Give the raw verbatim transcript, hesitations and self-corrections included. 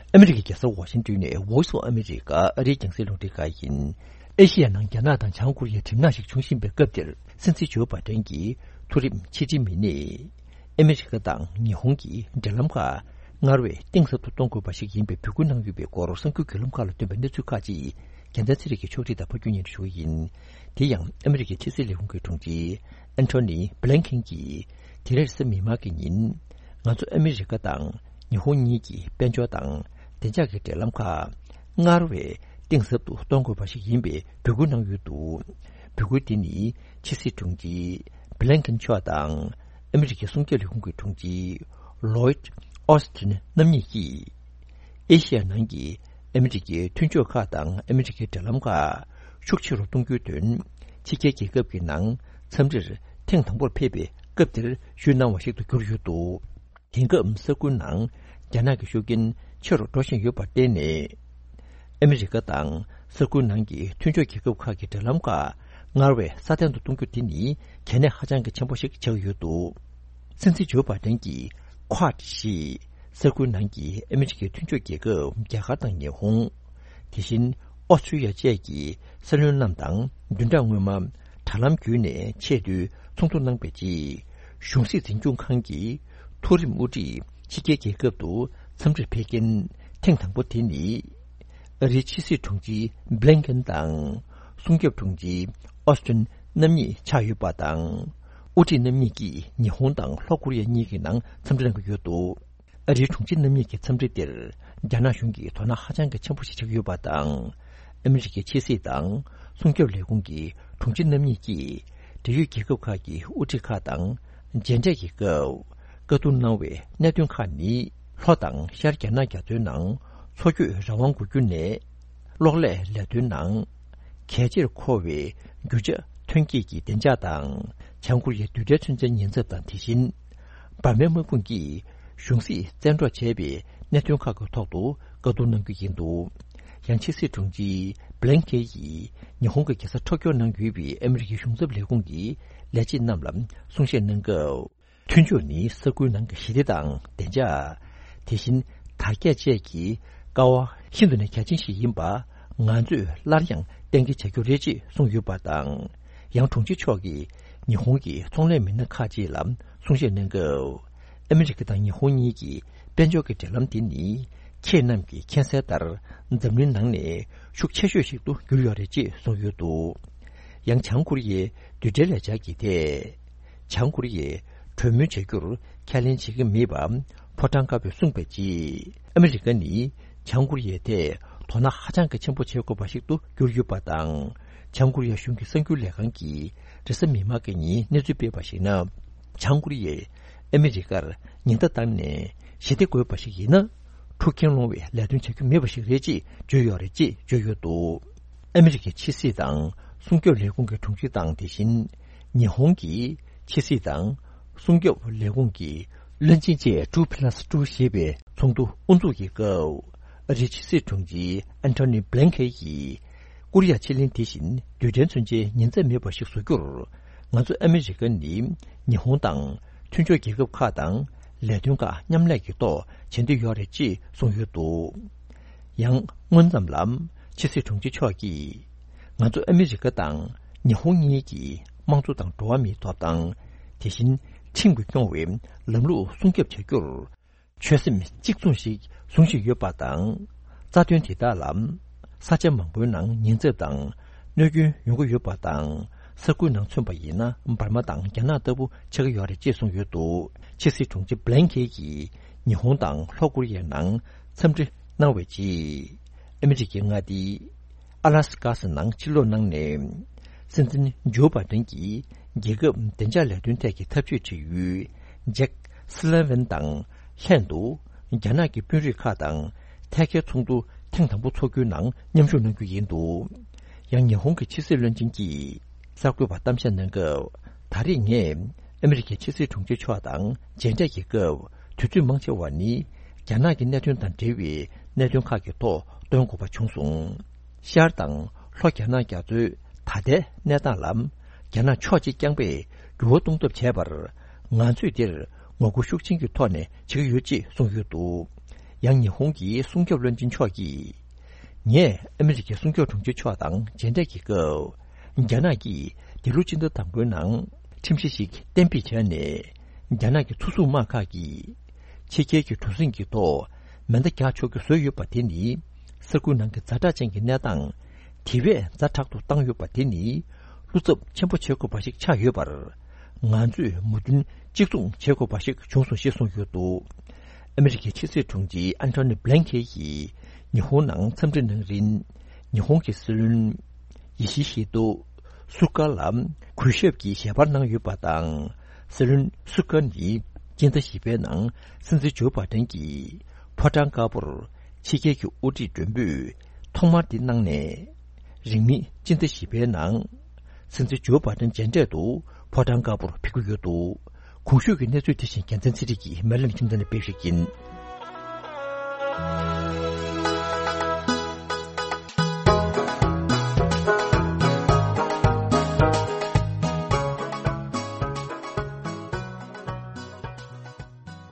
ཨ་མི་རི་ཀའི་རྒྱལ་ས་ཝ་ཤིང་ཏོན་ནས་Voice of America ཨ་རིའི་རྒྱང་སྲིང་རླུང་འཕྲིན་ཁང་ཡིན། ཨེ་ཤི་ཡ་ནང་རྒྱ་ནག་དང་བྱང་ཀོ་རི་ཡའི་གྲིབ་ནག་ཞིག་འབྱུང་བཞིན་པའི་སྐབས་འདིར། སྲིད་འཛིན་ཇོ་བྷ་ཏན་གྱི་མཐོ་རིམ་ཕྱི་འབྲེལ་མི་སྣས། ཨ་མི་རི་ཀ་དང་ཉི་ཧོང་གི་འབྲེལ་ལམ་ཁག་སྔར་བས་གཏིང་ཟབ་ཏུ་གཏོང་དགོས་པ་ཞིག་ཡིན་པའི་འབོད་སྐུལ་གནང་ཡོད་པའི་སྐོར་གསར་འགྱུར་བརྒྱུད་ལམ་ཁག་ལ་བཏོན་པའི་གནས་ཚུལ་ཁག་ཅིག་རྒྱལ་མཚན་ཚེ་རིང་གིས་ཕྱོགས་སྒྲིག་དང་ཕབ་སྒྱུར་སྙན་སྒྲོན་ཞུ་གི་ཡིན། དེ་ཡང་ཨ་མི་རི་ཀའི་ཕྱི་སྲིད་ལས་ཁུངས་ཀྱི་དྲུང་ཆེ་ཨན་ཐོ་ནི་བྷི་ལན་ཁེན་གྱིས། དེ་རེས་གཟའ་མིག་དམར་གྱི་ཉིན། ང་ཚོ་ཨ་མི་རི་ཀ་དང་ཉི་ཧོང་གཉིས་ཀྱི་དཔལ་འབྱོར་དང་བདེ་འཇགས་ཀྱི་འབྲེལ་ལམ་ཁག་སྔར་བས་གཏིང་ཟབ་ཏུ་གཏོང་དགོས་པ་ཞིག་ཡིན་པའི་འབོད་སྐུལ་གནང་ཡོད་འདུག་འབོད་སྐུལ་འདི་ནི་ཕྱི་སྲིད་དྲུང་ཆེ་བྷི་ལན་ཁེན་མཆོག་དང་ཨ་མི་རི་ཀའི་སྲུང་སྐྱོབ་ལས་ཁུངས་ཀྱི་དྲུང་ཆེ་ལོའིད་ཨོ་སི་ཐིན་རྣམ་གཉིས་ཀྱིས། ཨེ་ཤི་ཡ་ནང་གི་ཨ་མི་རི་ཀའི་མཐུན་ཕྱོགས་ཁག་དང་ཨ་མི་རི་ཀའི་འབྲེལ་ལམ་ཁག་ཤུགས་ཆེ་རུ་གཏོང་རྒྱུའི་དོན། ཕྱི་རྒྱལ་རྒྱལ་ཁབ་ཀྱི་ནང་འཚམས་འདྲིར་ཐེངས་དང་པོར་ཕེབས་པའི་སྐབས་དེར་ཞུས་གནང་བ་ཞིག་ཏུ་གྱུར་ཡོད་འདུག་དེང་སྐབས་ས་ཁུལ་ནང་རྒྱ་ནག་གི་ཤུགས་རྐྱེན་ཆེ་རུ་འགྲོ་བཞིན་ཡོད་པར་བརྟེན་ནས། ཨ་མི་རི་ཀ་དང་ས་ཁུལ་ནང་གི་མཐུན་ཕྱོགས་རྒྱལ་ཁབ་ཁག་གི་འབྲེལ་ལམ་ཁག་སྔར་བས་སྲ་བརྟན་དུ་གཏོང་རྒྱུ་དེ་ནི་གལ་གནད་ཧ་ཅང་གི་ཆེན་པོ་ཞིག་ཆགས་ཡོད་འདུག་སྲིད་འཛིན་ཇོ་བྷ་ཏན་གྱིས་ཁོ་ཌི་ཞེས་ས་ཁུལ་ནང་གི་ཨ་མི་རི་ཀའི་མཐུན་ཕྱོགས་རྒྱལ་ཁབ་རྒྱ་གར་དང་ཉི་ཧོང་། དེ་བཞིན་ཨོ་སི་ཀྲི་ཡ་བཅས་ཀྱི་སྲིད་བློན་རྣམས་དང་བདུན་ཕྲག་སྔོན་མ་དྲ་ལམ་བརྒྱུད་ནས་ཆེས་མཐོའི་ཚོགས་འདུ་གནང་བའི་རྗེས། གཞུང་སྲིད་འཛིན་སྐྱོང་ཁང་གི་མཐོ་རིམ་དབུ་ཁྲིད་ཕྱི་རྒྱལ་རྒྱལ་ཁབ་ཏུ་འཚམས་འདྲིར་ཕེབས་མཁན་ཐེངས་དང་པོ་དེ་ནི། ཨ་རིའི་ཕྱི་སྲིད་དྲུང་ཆེ་བྷི་ལན་ཁེན་དང་། སྲུང་སྐྱོབ་དྲུང་ཆེ་ཨོ་སི་ཏིན་རྣམ་གཉིས་ཆགས་ཡོད་པ་དང་། དབུ་ཁྲིད་རྣམ་གཉིས་ཀྱིས་ཉི་ཧོང་དང་ལྷོ་ཀོ་རི་ཡ་གཉིས་ཀྱི་ནང་འཚམས་འདྲི་གནང་གི་ཡོད་འདུག་ཨ་རིའི་དྲུང་ཆེ་རྣམ་གཉིས་ཀྱི་འཚམས་འདྲི་དེར་རྒྱ་ནག་གཞུང་གིས་དོ་སྣང་ཧ་ཅང་གི་ཆེན་པོ་ཞིག་བྱེད་ཀྱི་ཡོད་པ་དང་། ཨ་མི་རི་ཀའི་ཕྱི་སྲིད་དང་སྲུང་སྐྱོབ་ལས་ཁུངས་ཀྱི་དྲུང་ཆེ་རྣམ་གཉིས་ཀྱིས་འབྲེལ་ཡོད་རྒྱལ་ཁབ་ཁག་གི་དབུ་ཁྲིད་ཁག་དང་མཇལ་འཕྲད་ཀྱི་སྐབས་བཀའ་བསྡུར་གནང་བའི་གནད་དོན་ཁག་ནི། ལྷོ་དང་ཤར་རྒྱ་ནག་རྒྱ་མཚོའི་ནང་མཚོ་སྐྱོད་རང་དབང་དགོས་རྒྱུ་ནས། གློག་ཀླད་ལས་དོན་ནང་གལ་ཆེར་མཁོ་བའི་རྒྱུ་ཆ་ཐོན་སྐྱེད་ཀྱི་བདེ་འཇགས་དང་། བྱང་ཀོ་རི་ཡའི་རྡུལ་ཕྲན་མཚོན་ཆའི་ཉེན་ཚབས་དང་། དེ་བཞིན་འབར་མའི་དམག་དཔུང་གིས་གཞུང་སྲིད་བཙན་འཕྲོག་བྱས་པའི་གནད་དོན་ཁག་གི་ཐོག་ཏུ་བཀའ་བསྡུར་གནང་རྒྱུ་ཡིན་འདུག་ཡང་ཕྱི་སྲིད་དྲུང་ཆེ་བྷི་ལན་ཁེ་ཡིས་ཉི་ཧོང་གི་རྒྱལ་ས་ཊོ་ཀྱོ་ནང་ཡོད་པའི་ཨ་མི་རི་ཀའི་གཞུང་ཚབ་ལས་ཁུངས་ཀྱི་ལས་བྱེད་རྣམས་ལ་གསུང་བཤད་གནང་སྐབས། མཐུན་ཕྱོགས་ནི་ས་ཁུལ་ནང་གི་ཞི་བདེ་དང་བདེ་འཇགས། དེ་བཞིན་དར་རྒྱས་བཅས་ཀྱི་ཀ་བ་ཤིན་ཏུ་ནས་གལ་ཆེན་ཞིག་ཡིན་པ་ང་ཚོས་སླར་ཡང་གཏན་འཁེལ་བྱ་རྒྱུ་རེད་ཅེས་གསུངས་ཡོད་པ་དང་། ཡང་དྲུང་ཆེ་མཆོག་གིས་ཉི་ཧོང་གི་ཚོང་ལས་མི་སྣ་ཁག་ཅིག་ལ་གསུང་བཤད་གནང་སྐབས། ཨ་མི་རི་ཀ་དང་ཉི་ཧོང་གཉིས་ཀྱི་དཔལ་འབྱོར་གྱི་འབྲེལ་ལམ་དེ་ནི་ཁྱེད་རྣམས་ཀྱིས་མཁྱེན་གསལ་ལྟར་འཛམ་གླིང་ནང་ནས་ཤུགས་ཆེ་ཤོས་ཤིག་ཏུ་གྱུར་ཡོད་རེད་ཅེས་གསུངས་ཡོད་འདུག་ཡང་བྱང་ཀོ་རི་ཡའི་རྡུལ་ཕྲན་ལས་འཆར་གྱི་ཐད། བྱང་ཀོ་རི་ཡས་གྲོས་མོལ་བྱ་རྒྱུར་ཁས་ལེན་བྱེད་ཀྱི་མེད་པ་ཕོ་བྲང་དཀར་པོས་གསུངས་པའི་རྗེས། ཨ་མི་རི་ཀ་ནི་བྱང་ཀོ་རི་ཡའི་ཐད་དོ་སྣང་ཧ་ཅང་གི་ཆེན་པོ་བྱེད་དགོས་པ་ཞིག་ཏུ་གྱུར་ཡོད་པ་དང་། བྱང་ཀོ་རི་ཡ་གཞུང་གི་གསར་འགྱུར་ལས་ཁང་གིས་རེས་གཟའ་མིག་དམར་གྱི་ཉིན་གནས་ཚུལ་སྤེལ་བར་གཞིགས་ན། བྱང་ཀོ་རི་ཡས་ཨ་མི་རི་ཀར་ཉེན་བརྡ་བཏང་ནས་ཞི་བདེ་དགོས་པ་ཞིག་ཡིན་ན། འཁྲུག་རྐྱེན་སློང་བའི་ལས་དོན་བྱ་རྒྱུ་མེད་པ་ཞིག་རེད་ཅེས་བརྗོད་ཡོད་རེད་ཅེས་བརྗོད་ཡོད་འདུག་ཨ་མི་རི་ཀའི་ཕྱི་སྲིད་དང་སྲུང་སྐྱོབ་ལས་ཁུངས་ཀྱི་དྲུང་ཆེ་དང་། དེ་བཞིན་ཉི་ཧོང་གི་ཕྱི་སྲིད་དང་སྲུང་སྐྱོབ་ལས་ཁུངས་ཀྱི་བློན་ཆེན་བཅས་ཊུ་པི་ལ་སི་ཊུ་ཞེས་པའི་ཚོགས་འདུ་དབུ་འཛུགས་ཀྱི་སྐབས། ཨ་རིའི་ཕྱི་སྲིད་དྲུང་ཆེ་ཨན་ཐོ་ནི་བྷི་ལན་ཁེ་ཡིས། ཀོ་རི་ཡ་ཕྱེད་གླིང་དེ་བཞིན་རྡུལ་ཕྲན་མཚོན་ཆའི་ཉེན་ཚབས་མེད་པ་ཞིག་བཟོ་རྒྱུར། ང་ཚོ་ཨ་མི་རི་ཀ་ནི་ཉི་ཧོང་དང་མཐུན་ཕྱོགས་རྒྱལ་ཁབ་ཁག་དང་ལས་དོན་ཁག་མཉམ་ལས་ཀྱི་ཐོག་བྱེད་འདོད་ཡོད་རེད་ཅེས་གསུངས་ཡོད་འདུག་ཡང་སྔོན་ཙམ་ལ་ཕྱི་སྲིད་དྲུང་ཆེ་མཆོག་གིས། ང་ཚོ་ཨ་མི་རི་ཀ་དང་ཉི་ཧོང་གཉིས་ཀྱི་དམངས་གཙོ་དང་འགྲོ་བ་མིའི་ཐོབ་ཐང་། དེ་བཞིན་ཁྲིམས་ཀྱིས་སྐྱོང་བའི་ལམ་ལུགས་སྲུང་སྐྱོབ་བྱ་རྒྱུར། ཆོད་སེམས་གཅིག་མཚུངས་ཤིག་བཟུང་བཞིན་ཡོད་པ་དང་། རྩ་དོན་དེ་དག་ལ་ས་ཆ་མང་པོའི་ནང་ཉེན་ཚབས་དང་གནོད་སྐྱོན་ཡོང་གི་ཡོད་པ་དང་། ས་ཁུལ་ནང་མཚོན་པ་ཡིན་ན་འབར་མ་དང་རྒྱ་ནག་ལྟ་བུ་ཆགས་ཀྱི་ཡོད་རེད་ཅེས་གསུངས་ཡོད་འདུག་ཕྱི་སྲིད་དྲུང་ཆེ་བྷི་ལན་ཁེ་ཡིས་ཉི་ཧོང་དང་ལྷོ་ཀོ་རི་ཡའི་ནང་འཚམས་འདྲི་གནང་བའི་རྗེས། ཨ་མི་རི་ཀའི་མངའ་སྡེ་ཨ་ལ་སི་ཀ་ནང་ཕྱིར་ལོག་གནང་ནས། སྲིད་འཛིན་ཇོ་བྷ་ཏན་གྱིས་རྒྱལ་ཁབ་བདེ་འཇགས་ལས་དོན་ཐད་ཀྱི་འཐབ་ཇུས་དྲི་ཡུལ་ཇེག་སི་ལེ་ཝན་དང་ལྷན་དུ་རྒྱ་ནག་གི་དཔོན་རིགས་ཁག་དང་ཐད་ཀའི་ཚོགས་འདུ་ཐེངས་དང་པོ་འཚོགས་རྒྱུའི་ནང་མཉམ་ཞུགས་གནང་རྒྱུ་ཡིན་འདུག་ཡང་ཉི་ཧོང་གི་ཕྱི་སྲིད་བློན་ཆེན་གྱིས་གསར་འགོད་པར་གཏམ་བཤད་གནང་སྐབས། ད་རེས་ངས་ཨ་མི་རི་ཀའི་ཕྱི་སྲིད་དྲུང་ཆེ་མཆོག་དང་མཇལ་འཕྲད་ཀྱི་སྐབས། དུས་ཚོད་མང་ཆེ་བ་ནི་རྒྱ་ནག་གི་གནད་དོན་དང་འབྲེལ་བའི་གནད་དོན་ཁག་གི་ཐོག་བཏོན་དགོས་པ་བྱུང་སོང་། ཤར་དང་ལྷོ་རྒྱ་ནག་རྒྱ་མཚོའི་ད་ལྟའི་གནས་སྟངས་ལ་རྒྱ་ནག་ཕྱོགས་གཅིག་རྐྱང་པས་འགྱུར་བ་གཏོང་ཐབས་བྱས་པར། ང་ཚོས་འདིར་ངོ་རྒོལ་ཤུགས་ཆེན་གྱི་ཐོག་ནས་བྱེད་ཀྱི་ཡོད་ཅེས་གསུངས་ཡོད་འདུག་ཡང་ཉི་ཧོང་གི་སྲུང་སྐྱོབ་བློན་ཆེན་མཆོག་གིས། ངས་ཨ་མི་རི་ཀའི་སྲུང་སྐྱོབ་དྲུང་ཆེ་མཆོག་དང་མཇལ་འཕྲད་ཀྱི་སྐབས། རྒྱ་ནག་གིས་འདི་ལོ་སྤྱི་ཟླ་དང་པོའི་ནང་ཁྲིམས་གཞི་ཞིག་གཏན་འབེབས་བྱས་ནས། རྒྱ་ནག་གི་མཚོ་སྲུང་དམག་ཁག་གིས་ཕྱི་རྒྱལ་གྱི་གྲུ་གཟིངས་ཀྱི་ཐོག་མེ་མདའ་རྒྱག་ཆོག་རྒྱུ་བཟོས་ཡོད་པ་དེ་ནི། ས་ཁུལ་ནང་གི་ཛ་དྲག་ཅན་གྱི་གནས་སྟངས་དེ་བས་ཛ་དྲག་ཏུ་བཏང་ཡོད་པ་དེ་ནི། བློ་འཚབ་ཆེན་པོ་བྱེད་དགོས་པ་ཞིག་ཆགས་ཡོད་པར། ང་ཚོས་མོས་མཐུན་གཅིག་མཚུངས་བྱེད་དགོས་པ་ཞིག་བྱུང་སོང་ཞེས་གསུངས་ཡོད་འདུག་ཨ་མི་རི་ཀའི་ཕྱི་སྲིད་དྲུང་ཆེ་ཨན་ཐོ་ནི་བྷི་ལན་ཁེ་ཡིས་ཉི་ཧོང་ནང་འཚམས་འདྲི་གནང་རིང་། ཉི་ཧོང་གི་སྲིད་བློན་ཡི་ཤི་ཧི་ཏོ་སུ་ཀ་ལ་གུས་ཞབས་ཀྱི་ཞལ་པར་གནང་ཡོད་པ་དང་། སྲིད་བློན་སུ་ཀ་ནི་སྤྱི་ཟླ་བཞི་པའི་ནང་སྲིད་འཛིན་ཇོ་བྷ་ཏན་གྱི་ཕོ་བྲང་དཀར་པོར་ཕྱི་རྒྱལ་གྱི་དབུ་ཁྲིད་མགྲོན་འབོད་ཐོག་མར་དེ་གནང་ནས། རིང་མིན་སྤྱི་ཟླ་བཞི་པའི་ནང་སྲིད་འཛིན་ཇོ་བྷ་ཏན་མཇལ་འཕྲད་དུ་ཕོ་བྲང་དཀར་པོར་ཕེབས་ཀྱི་ཡོད་འདུག་གོང་ཞུས་ཀྱི་གནས་ཚུལ་དེ་བཞིན་རྒྱལ་མཚན་ཚེ་རིང་གིས་མེ་ལན་ཁྱིམ་ཚང་ནས་སྤེལ་བཞིན་ཡིན།